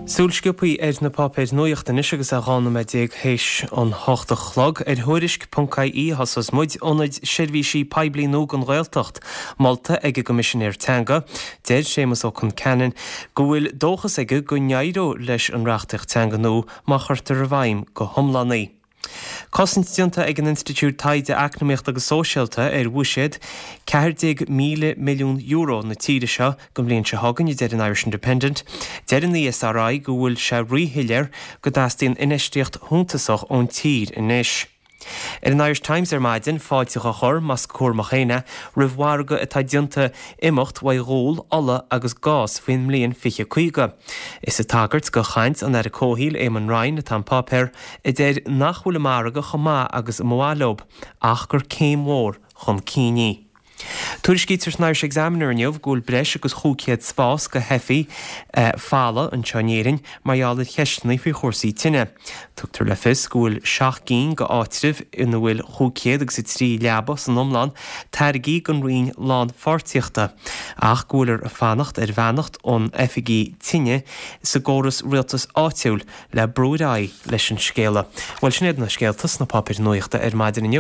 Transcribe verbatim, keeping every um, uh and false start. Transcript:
Súil sciobtha ar na páipéir nuachta anois agus é dhá nóiméad déag théis an hocht a chlog ar Thuairisc ponc ie thosós muid ionaid seirbhísí poiblí nua don Ghaeltacht molta ag an gCoimisinéir Teanga. Deir Séamus Ó Concheanainn go bhfuil dóchas aige go n-éireoidh leis an reachtaíocht teanga nua má chuirtear i bhfeidhm go hiomlán í. Cosaint déanta ag an Institiúid Taighde Eacnamaíochta agus Sóisialta ar bhuiséad ceathair déag míle milliún euro na tíre seo don bhliain seo chugainn, a deir an Irish Independent. Deir an ESRI go bhfuil sé ríshoiléir go dteastaíonn infheistíocht shuntasach ón tír anois. Ar an Irish Times ar maidin, fáilte á chur, más cúramach féin é, roimh mhargadh atá déanta imeacht uaidh ghual, ola agus gás faoin mbliain fiche caoga. Is ag tagairt do chaint an Aire Comhshaoil Eamon Ryan atá an páipéar, a deir nach bhfuil an margadh chomh maith agus a mba mhaith leo, ach gur céim mhór chun cinn í. Tuairiscítear san Irish Examiner inniu go bhfuil breis agus chúig chéad spás do theifigh folamh anseo in Éirinn mar gheall ar cheisteanna faoi chúrsaí tine. Tugtar le fios go bhfuil seacht gcinn d'áitribh ina bhfuil chúig chéad agus a trí leaba san iomlán tairgthe don Roinn Lánpháirtíochta ach go bhfuiltear ag fanacht ar bheannacht ón oifigí tine sa gcóras rialtais áitiúil le brú ar aghaidh leis an scéala. Bhuel sin iad na scéalta sna páipéir nuachta ar maidin inniu.